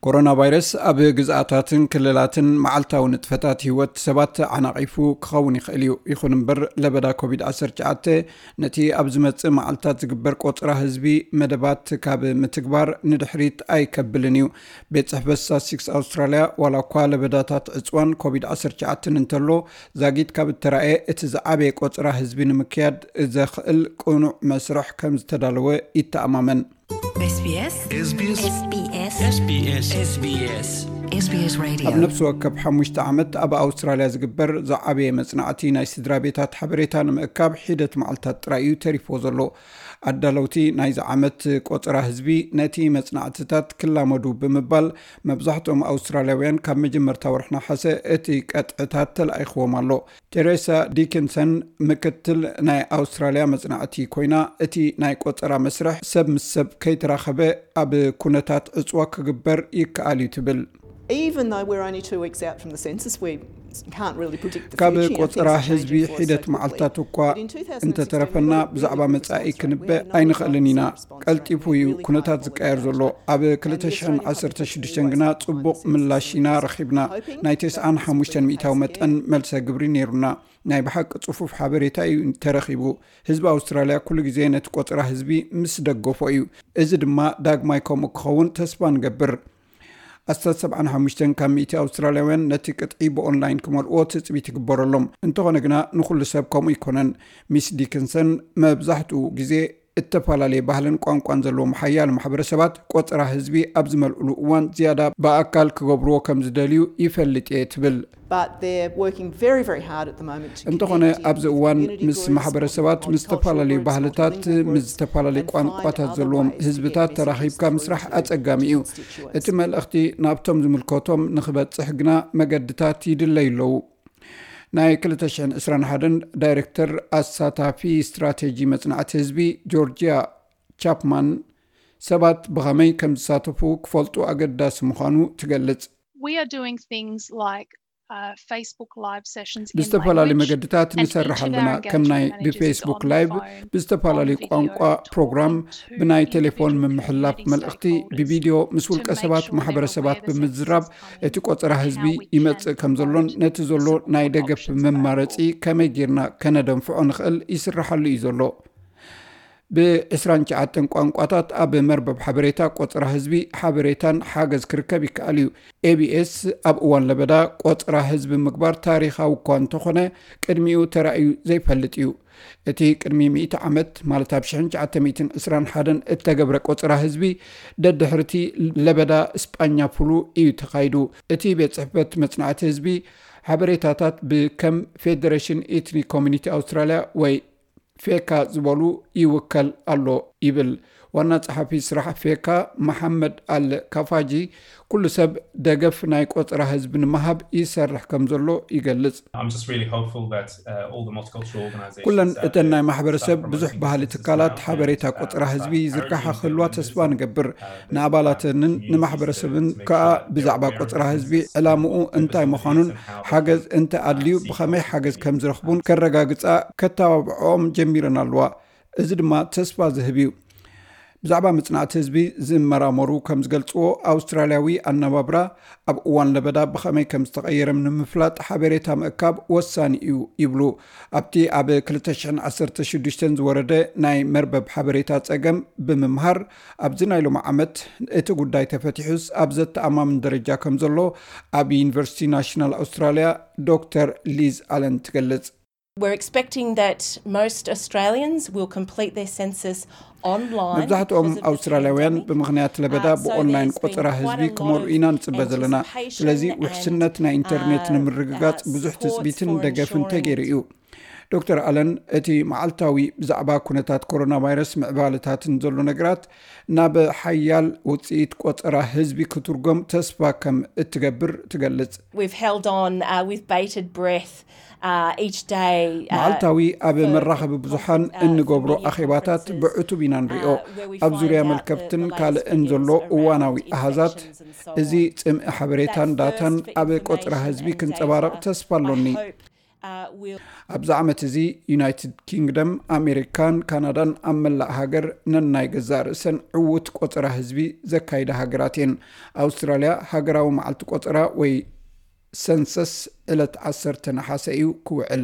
ኮሮና ቫይረስ ኣብ ግዝኣታትን ክልላትን መዓልታዊ ንጥፈታት ህይወት ሰባት ዓናቒፉ ክኸውን ይኽእል እዩ። ይኹን እምበር፣ ለበዳ ኮቪድ ዓሰርተ ትሽዓተ ነቲ ኣብ ዝመጽእ መዓልታት ዝግበር ቆጽራ ህዝቢ መደባት ካብ ምትግባር ንድሕሪት ኣይከብልን እዩ። ቤት ጽሕፈት ስታትስቲክስ ኣውስትራልያ፣ ዋላ እኳ ለበዳታት ዕጽዋን ኮቪድ ዓሰርተ ትሽዓተን እንተሎ፣ ዛጊት ካብ እተራእየ፣ እቲ ዝዓበየ ቆጽራ ህዝቢ ንምክያድ ዘኽእል ቅኑዕ መስርሕ ከም ዝተዳለወ ይተኣማመን። SBS SBS SBS SBS SBS SBS Radio። ኣብ ነፍሲ ወከፍ ሓሙሽተ ዓመት ኣብ ኣውስትራልያ ዝግበር ዝዓበየ መጽናዕቲ ናይ ስድራ ቤታት ሓበሬታ ንምእካብ ሒደት መዓልታት ጥራይ እዩ ተሪፎ ዘሎ። ኣዳለውቲ ናይዚ ዓመት ቆጸራ ህዝቢ ነቲ መጽናዕትታት ክላመዱ ብምባል፣ መብዛሕትኦም ኣውስትራልያውያን ካብ መጀመርታ ወርሒ ነሓሰ እቲ ቀጥዕታት ተላኢኽዎም ኣሎ። ቴሬሳ ዲኪንሰን፣ ምክትል ናይ ኣውስትራልያ መጽናዕቲ ኮይና፣ እቲ ናይ ቆጸራ መስርሕ ሰብ ምስ ሰብ ከይተራኸበ ኣብ ኩነታት ዕጽዋ ክግበር ይከኣል እዩ ትብል። Even though we're only two weeks out from the census, we can't really predict the ካብ future. You know, ቆጸራ things are ህዝቢ changing for us ሒደት so quickly. መዓልታት እኳ But in two thousand sixteen, እንተተረፈና፣ we ብዛዕባ really ክንበ ኣይንኽእልን ኢና። ቀልጢፉ እዩ ኩነታት ዝቀየር ዘሎ። ኣብ ክልተ ሽሕን ዓሰርተ ሽዱሽተን ግና ጽቡቕ ምላሽ ኢና ረኺብና። ናይ ተስዓን ሓሙሽተን ሚእታዊ መጠን መልሰ ግብሪ ነይሩና። ናይ ብሓቂ ጽፉፍ ሓበሬታ እዩ ተረኺቡ። ህዝቢ ኣውስትራልያ ኩሉ ግዜ ነቲ ቆጸራ ህዝቢ ምስ ደገፎ እዩ። እዚ ድማ ዳግማይ ከምኡ ክኸውን ተስፋ ንገብር። ኣስታት ሰብዓን ሓሙሽተን ካብ ሚእቲ ኣውስትራልያውያን ነቲ ቅጥዒ ብኦንላይን ክመልእዎ ትጽቢት ይግበረሎም። እንተኾነ ግና፣ ንኹሉ ሰብ ከምኡ ኣይኮነን። ሚስ ዲክንሰን፣ መብዛሕትኡ ግዜ እተፈላለየ ባህልን ቋንቋን ዘለዎም ሓያሎ ማሕበረሰባት ቆጸራ ህዝቢ ኣብ ዝመልእሉ እዋን ዝያዳ ብኣካል ክገብርዎ ከም ዝደልዩ ይፈልጥ እየ ትብል። But they're working very, very hard at the moment to እንተኾነ connect ኣብዚ in እዋን community ምስ groups, ማሕበረሰባት፣ on ምስ ዝተፈላለዩ cultural groups, ባህልታት፣ multilingual ምስ groups, ዝተፈላለዩ and find ቋንቋታት other ዘለዎም ways to ህዝብታት get ተራኺብካ messages ምስራሕ through to ኣጸጋሚ እዩ። Constituents. እቲ መልእኽቲ ናብቶም ዝምልከቶም ንኽበጽሕ ግና መገድታት ይድለዩ ኣለዉ። ናይ ክልተ ሽሕን ዕስራን ሓደን ዳይሬክተር ኣሳታፊ ስትራቴጂ መጽናዕቲ ህዝቢ ጆርጂያ ቻፕማን፣ ሰባት ብኸመይ ከም ዝሳተፉ ክፈልጡ ኣገዳሲ ምዃኑ ትገልጽ። We are doing things like, uh, Facebook live sessions in ብዝተፈላለዩ language መገድታት and ንሰርሕ featured ኣለና። our ከም ናይ engagement managers ብፌስቡክ on the ላይቭ፣ phone, ብዝተፈላለዩ on video, ቋንቋ talking ፕሮግራም፣ to ብናይ ቴሌፎን individual ምምሕላፍ community መልእኽቲ፣ stakeholders ብቪድዮ ምስ to ውልቀ make ሰባት sure they're ማሕበረሰባት aware the census ብምዝራብ፣ is coming እቲ ቆጸራ and ህዝቢ how we ይመጽእ can ከም ዘሎን provide ነቲ ዘሎ ናይ support ደገፍ options መማረጺ available. ከመይ ጌርና ከነደንፍዖ ንኽእል ይስርሓሉ እዩ ዘሎ። ብዕስራን ትሽዓተን ቋንቋታት ኣብ መርበብ ሓበሬታ ቆጸራ ህዝቢ ሓበሬታን ሓገዝ ክርከብ ይከኣል እዩ። ኤ ቢ ኤስ ኣብ እዋን ለበዳ ቆጸራ ህዝቢ ምግባር ታሪኻዊ እኳ እንተኾነ፣ ቅድሚኡ ተራእዩ ዘይፈልጥ እዩ። እቲ ቅድሚ ሚእቲ ዓመት፣ ማለት ኣብ ሽሕን ትሽዓተ ሚእትን ዕስራን ሓደን እተገብረ ቆጸራ ህዝቢ፣ ደድሕርቲ ለበዳ ስጳኛ ፍሉ እዩ ተኻይዱ። እቲ ቤት ጽሕፈት መጽናዕቲ ህዝቢ ሓበሬታታት ብከም ፌደሬሽን ኤትኒክ ኮሚኒቲ ኣውስትራልያ ወይ ፌካ ዝበሉ ይውከል ኣሎ ይብል። ዋና ጸሓፊ ስራሕ ፌካ መሓመድ ኣል ካፋጂ፣ ኩሉ ሰብ ደገፍ ናይ ቆጸራ ህዝቢ ንምሃብ ይሰርሕ ከም ዘሎ ይገልጽ። I'm just really hopeful that, uh, all the multicultural organizations ኩለን that እተን ናይ are ማሕበረሰብ start ብዙሕ promoting ባህሊ this ትካላት now ሓበሬታ and, uh, ቆጸራ ህዝቢ start ዝርግሓ bringing ክህልዋ them ተስፋ into, ንገብር። uh, the ንኣባላተንን communities ንማሕበረሰብን to make ከዓ sure that there ብዛዕባ are ቆጸራ hዝቢ ዕላምኡ እንታይ ምዃኑን ሓገዝ እንተ ኣድልዩ ብኸመይ ሓገዝ ከም ዝረኽቡን ከረጋግጻ ከተባብዖም ጀሚረን ኣለዋ። እዚ ድማ ተስፋ ዝህብ እዩ። ብዛዕባ መጽናዕቲ ህዝቢ ዝመራመሩ ከም ዝገልጽዎ፣ ኣውስትራልያዊ ኣነባብራ ኣብ እዋን ለበዳ ብኸመይ ከም ዝተቐየረ ንምፍላጥ ሓበሬታ ምእካብ ወሳኒ እዩ ይብሉ። ኣብቲ ኣብ ክልተ ሽሕን ዓሰርተ ሽዱሽተን ዝወረደ ናይ መርበብ ሓበሬታ ጸገም ብምምሃር፣ ኣብዚ ናይ ሎሚ ዓመት እቲ ጉዳይ ተፈቲሑስ ኣብ ዘተኣማምን ደረጃ ከም ዘሎ ኣብ ዩኒቨርሲቲ ናሽናል ኣውስትራልያ ዶክተር ሊዝ ኣለን ትገልጽ። We're expecting that most Australians will complete their census online because of the pandemic. መብዛሕትኦም ኣውስትራልያውያን ብምኽንያት ለበዳ ብኦንላይን ቆጸራ ህዝቢ ክመልኡ ኢና ንጽበ ዘለና። ስለዚ ውሕስነት ናይ ኢንተርኔት ንምርግጋጽ ብዙሕ ትጽቢትን ደገፍን ተገይሩ እዩ። ዶክተር ኣለን፣ እቲ መዓልታዊ ብዛዕባ ኩነታት ኮሮና ቫይረስ ምዕባለታትን ዘሎ ነገራት ናብ ሓያል ውጽኢት ቆጸራ ህዝቢ ክትርጎም ተስፋ ከም እትገብር ትገልጽ። We've held on, uh, with bated breath, uh, each day, uh, መዓልታዊ ኣብ መራኸቢ ብዙሓን እንገብሮ ኣኼባታት ብዕቱብ ኢና ንሪኦ። ኣብ ዙርያ መልከፍትን ካልእን ዘሎ እዋናዊ ኣሃዛት፣ እዚ ጽምኢ ሓበሬታን ዳታን ኣብ ቆጸራ ህዝቢ ክንጸባረቕ ተስፋ ኣሎኒ። ኣብዚ ዓመት እዚ ዩናይትድ ኪንግደም፣ ኣሜሪካን ካናዳን ኣብ መላእ ሃገር ነናይ ገዛእ ርእሰን ዕዉት ቆጸራ ህዝቢ ዘካይዳ ሃገራት እየን። ኣውስትራልያ ሃገራዊ መዓልቲ ቆጸራ ወይ ሰንሰስ ዕለት ዓሰርተ ነሓሰ እዩ ክውዕል።